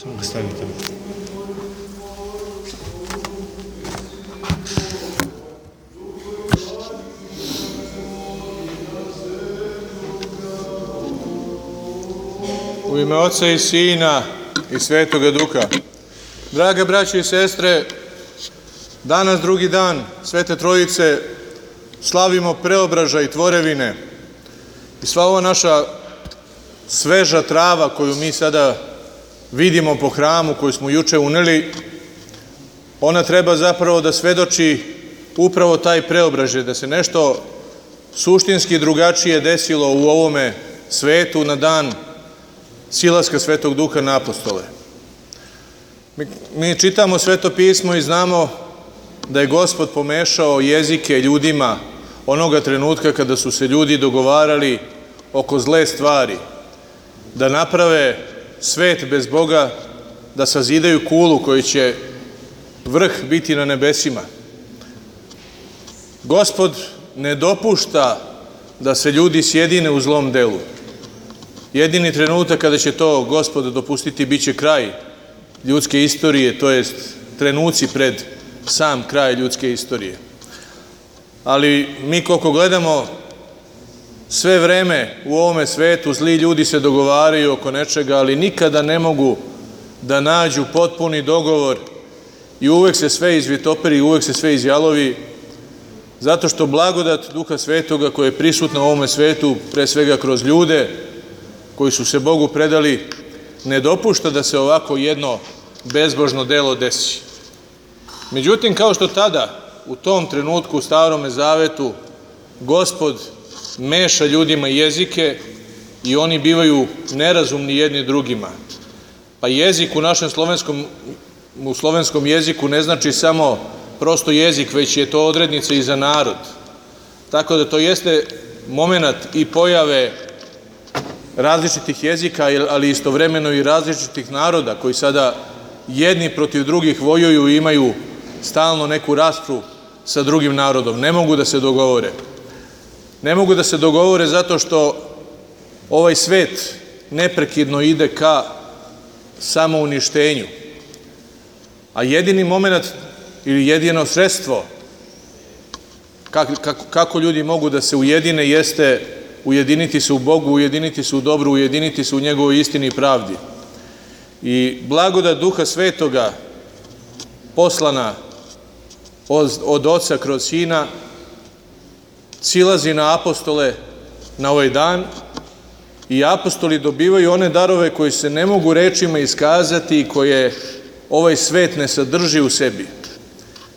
Samo ga stavite. U ime Oca i Sina i Svetoga Duha. Drage braće i sestre, danas drugi dan Svete Trojice slavimo preobražaj tvorevine i sva ova naša sveža trava koju mi sada vidimo po hramu, koju smo juče uneli, ona treba zapravo da svedoči upravo taj preobražaj, da se nešto suštinski drugačije desilo u ovome svetu na dan silaska Svetog Duha na apostole. Mi čitamo Sveto pismo i znamo da je Gospod pomešao jezike ljudima onoga trenutka kada su se ljudi dogovarali oko zle stvari, da naprave svet bez Boga, da sazidaju kulu koji će vrh biti na nebesima. Gospod ne dopušta da se ljudi sjedine u zlom delu. Jedini trenutak kada će to Gospod dopustiti biće kraj ljudske istorije, to jest trenuci pred sam kraj ljudske istorije. Ali mi koliko gledamo sve vreme u ovome svetu, zli ljudi se dogovaraju oko nečega, ali nikada ne mogu da nađu potpuni dogovor i uvek se sve izvitoperi, uvek se sve izjalovi, zato što blagodat Duha Svetoga koja je prisutna u ovome svetu, pre svega kroz ljude koji su se Bogu predali, ne dopušta da se ovako jedno bezbožno delo desi. Međutim, kao što tada, u tom trenutku u Starome Zavetu, Gospod meša ljudima jezike i oni bivaju nerazumni jedni drugima. Pa jezik u našem slovenskom jeziku ne znači samo prosto jezik, već je to odrednica i za narod. Tako da to jeste moment i pojave različitih jezika, ali istovremeno i različitih naroda koji sada jedni protiv drugih vojuju i imaju stalno neku raspravu sa drugim narodom. Ne mogu da se dogovore. Ne mogu da se dogovore zato što ovaj svet neprekidno ide ka samouništenju. A jedini moment ili jedino sredstvo kako ljudi mogu da se ujedine jeste ujediniti se u Bogu, ujediniti se u dobru, ujediniti se u njegovoj istini i pravdi. I blagodat Duha Svetoga poslana od Oca kroz Sina silazi na apostole na ovaj dan i apostoli dobivaju one darove koji se ne mogu rečima iskazati i koje ovaj svet ne sadrži u sebi.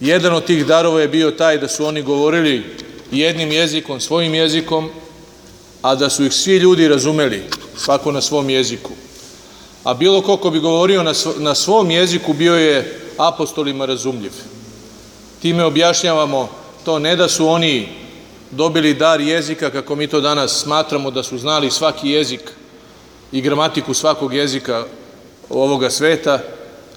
Jedan od tih darova je bio taj da su oni govorili jednim jezikom, svojim jezikom, a da su ih svi ljudi razumeli, svako na svom jeziku. A bilo ko bi govorio na svom jeziku bio je apostolima razumljiv. Time objašnjavamo to ne da su oni dobili dar jezika, kako mi to danas smatramo da su znali svaki jezik i gramatiku svakog jezika ovoga sveta,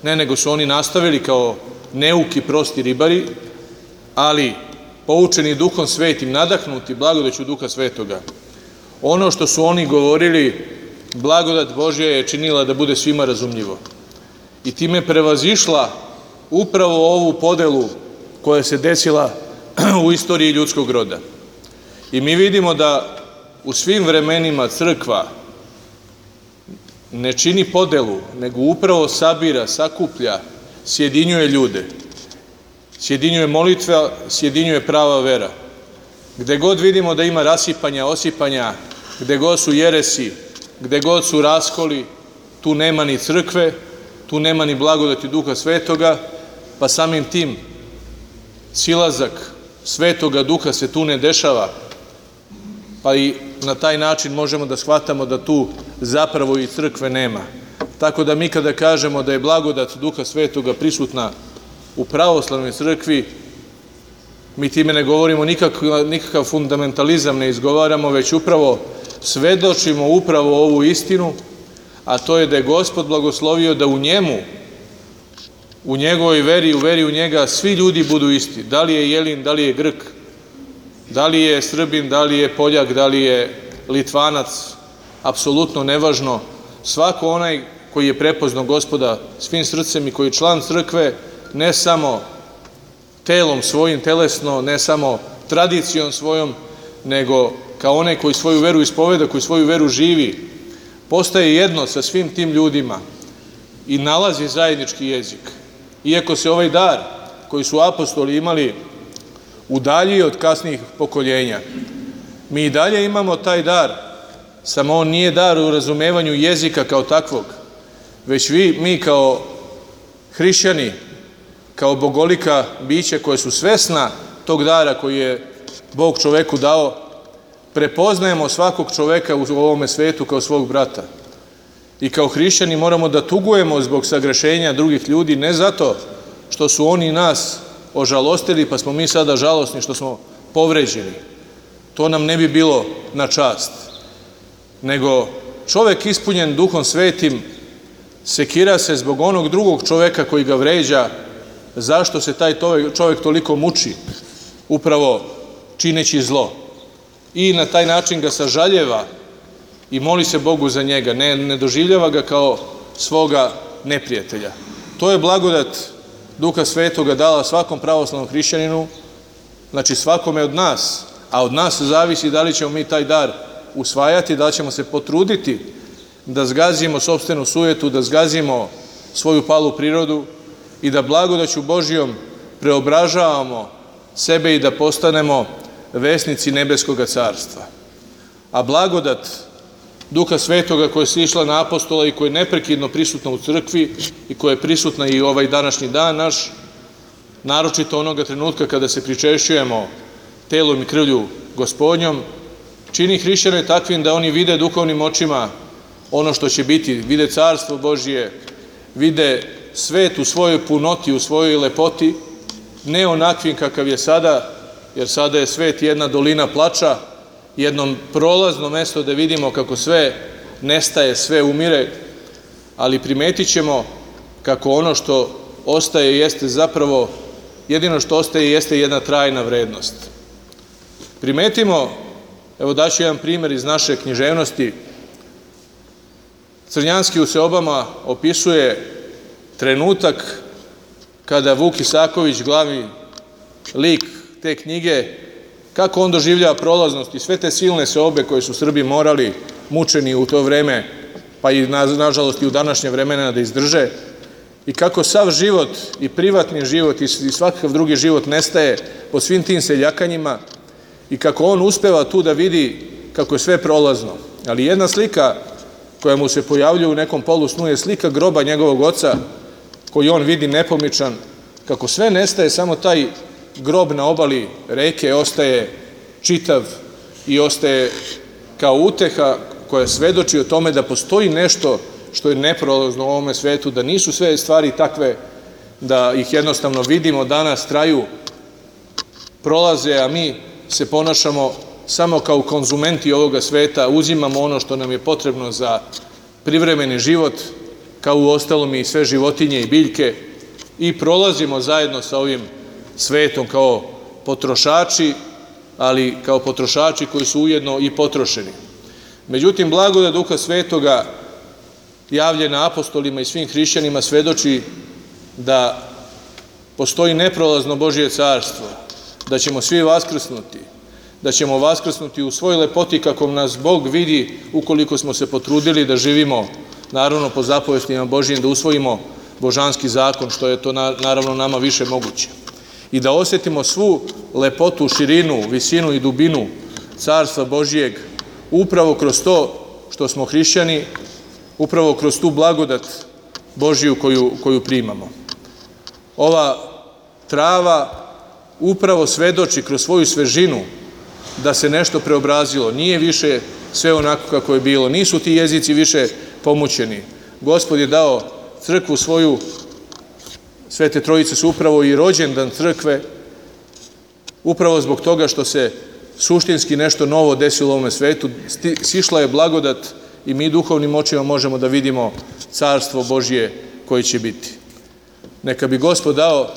ne, nego su oni nastavili kao neuki, prosti ribari, ali poučeni Duhom Svetim, nadahnuti blagodaću Duha Svetoga. Ono što su oni govorili, blagodat Božja je činila da bude svima razumljivo. I time prevazišla upravo ovu podelu koja se desila u istoriji ljudskog roda. I mi vidimo da u svim vremenima crkva ne čini podelu, nego upravo sabira, sakuplja, sjedinjuje ljude. Sjedinjuje molitva, sjedinjuje prava vera. Gde god vidimo da ima rasipanja, osipanja, gde god su jeresi, gde god su raskoli, tu nema ni crkve, tu nema ni blagodati Duha Svetoga, pa samim tim silazak Svetoga Duha se tu ne dešava, pa i na taj način možemo da shvatamo da tu zapravo i crkve nema. Tako da mi kada kažemo da je blagodat Duha Svetoga prisutna u pravoslavnoj crkvi, mi time ne govorimo nikakav fundamentalizam, ne izgovaramo, već upravo svedočimo upravo ovu istinu, a to je da je Gospod blagoslovio da u njemu, u njegovoj veri, u veri u njega, svi ljudi budu isti. Da li je Jelin, da li je Grk, da li je Srbin, da li je Poljak, da li je Litvanac, apsolutno nevažno. Svako onaj koji je prepoznao Gospoda svim srcem i koji je član crkve, ne samo telom svojim, telesno, ne samo tradicijom svojom, nego kao onaj koji svoju veru ispoveda, koji svoju veru živi, postaje jedno sa svim tim ljudima i nalazi zajednički jezik. Iako se ovaj dar koji su apostoli imali udaljio od kasnijih pokoljenja, mi i dalje imamo taj dar, samo on nije dar u razumevanju jezika kao takvog, već mi kao hrišćani, kao bogolika bića koje su svesna tog dara koji je Bog čoveku dao, prepoznajemo svakog čoveka u ovome svetu kao svog brata. I kao hrišćani moramo da tugujemo zbog sagrešenja drugih ljudi, ne zato što su oni nas ožalostili, pa smo mi sada žalosni što smo povređeni. To nam ne bi bilo na čast. Nego čovek ispunjen Duhom Svetim sekira se zbog onog drugog čoveka koji ga vređa, zašto se taj čovek toliko muči, upravo čineći zlo. I na taj način ga sažaljeva i moli se Bogu za njega, ne doživljava ga kao svoga neprijatelja. To je blagodat Duha Svetoga dala svakom pravoslavnom hrišćaninu, znači svakome od nas, a od nas zavisi da li ćemo mi taj dar usvajati, da li ćemo se potruditi da zgazimo sopstvenu sujetu, da zgazimo svoju palu prirodu i da blagodaću Božijom preobražavamo sebe i da postanemo vesnici nebeskoga carstva. A blagodat Duha Svetoga koja je sišla na apostola i koja je neprekidno prisutna u crkvi i koja je prisutna i ovaj današnji dan naš, naročito onoga trenutka kada se pričešćujemo telom i krvlju Gospodnjom, čini hrišćane takvim da oni vide duhovnim očima ono što će biti, vide carstvo Božije, vide svet u svojoj punoti, u svojoj lepoti, ne onakvim kakav je sada, jer sada je svet jedna dolina plača, jedno prolazno mesto da vidimo kako sve nestaje, sve umire, ali primetit ćemo kako ono što ostaje jeste zapravo, jedino što ostaje jeste jedna trajna vrednost. Primetimo, evo daću jedan primjer iz naše književnosti. Crnjanski u Seobama opisuje trenutak kada Vuk Isaković, glavni lik te knjige, kako on doživljava prolaznost i sve te silne seobe koje su Srbi morali, mučeni u to vreme, pa i nažalost i u današnje vremena da izdrže, i kako sav život i privatni život i svakav drugi život nestaje po svim tim seljakanjima i kako on uspeva tu da vidi kako je sve prolazno. Ali jedna slika koja mu se pojavljuje u nekom polusnu je slika groba njegovog oca koji on vidi nepomičan, kako sve nestaje, samo taj grob na obali reke ostaje čitav i ostaje kao uteha koja svedoči o tome da postoji nešto što je neprolazno u ovome svetu, da nisu sve stvari takve da ih jednostavno vidimo danas, traju, prolaze, a mi se ponašamo samo kao konzumenti ovoga sveta, uzimamo ono što nam je potrebno za privremeni život, kao u ostalom i sve životinje i biljke, i prolazimo zajedno sa ovim svetom kao potrošači, ali kao potrošači koji su ujedno i potrošeni. Međutim, blagodat Duha Svetoga javljena apostolima i svim hrišćanima svedoči da postoji neprolazno Božje carstvo, da ćemo svi vaskrsnuti, da ćemo vaskrsnuti u svoj lepoti kako nas Bog vidi ukoliko smo se potrudili da živimo, naravno po zapovestima Božjim, da usvojimo božanski zakon, što je to naravno nama više moguće. I da osjetimo svu lepotu, širinu, visinu i dubinu carstva Božijeg upravo kroz to što smo hrišćani, upravo kroz tu blagodat Božiju koju primamo. Ova trava upravo svedoči kroz svoju svežinu da se nešto preobrazilo. Nije više sve onako kako je bilo. Nisu ti jezici više pomućeni. Gospod je dao crkvu svoju, Svete Trojice su upravo i rođendan crkve, upravo zbog toga što se suštinski nešto novo desilo u ovome svetu. Sišla je blagodat i mi duhovnim očima možemo da vidimo carstvo Božje koje će biti. Neka bi Gospod dao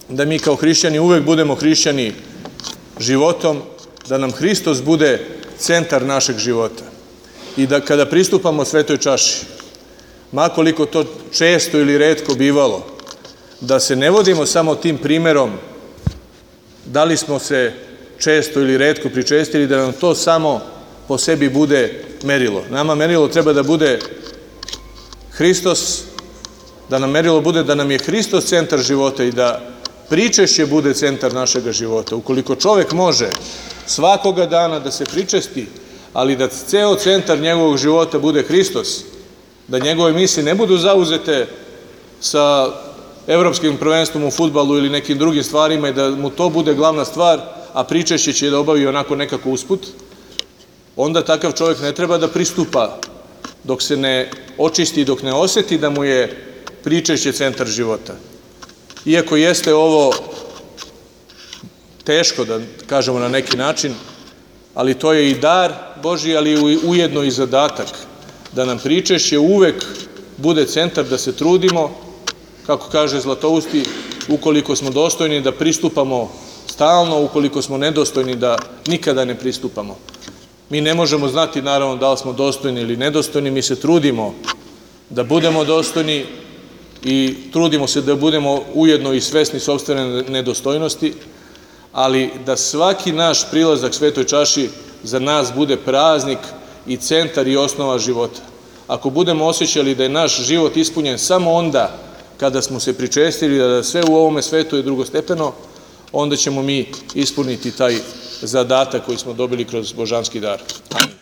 da mi kao hrišćani uvek budemo hrišćani životom, da nam Hristos bude centar našeg života i da kada pristupamo svetoj čaši, makoliko to često ili retko bivalo, da se ne vodimo samo tim primerom da li smo se često ili retko pričestili, da nam to samo po sebi bude merilo. Nama merilo treba da bude Hristos, da nam merilo bude da nam je Hristos centar života i da pričešće bude centar našega života. Ukoliko čovek može svakoga dana da se pričesti, ali da ceo centar njegovog života bude Hristos, da njegove misli ne budu zauzete sa evropskim prvenstvom u fudbalu ili nekim drugim stvarima i da mu to bude glavna stvar, a pričešće će da obavi onako nekako usput, onda takav čovjek ne treba da pristupa dok se ne očisti, dok ne oseti da mu je pričešće centar života. Iako jeste ovo teško, da kažemo na neki način, ali to je i dar Božji, ali ujedno i zadatak, da nam pričešće uvek bude centar, da se trudimo, kako kaže Zlatousti, ukoliko smo dostojni da pristupamo stalno, ukoliko smo nedostojni da nikada ne pristupamo. Mi ne možemo znati, naravno, da li smo dostojni ili nedostojni, mi se trudimo da budemo dostojni i trudimo se da budemo ujedno i svesni sopstvene nedostojnosti, ali da svaki naš prilazak Svetoj čaši za nas bude praznik i centar i osnova života. Ako budemo osjećali da je naš život ispunjen samo onda kada smo se pričestili, da sve u ovome svetu je drugostepeno, onda ćemo mi ispuniti taj zadatak koji smo dobili kroz božanski dar. Amin.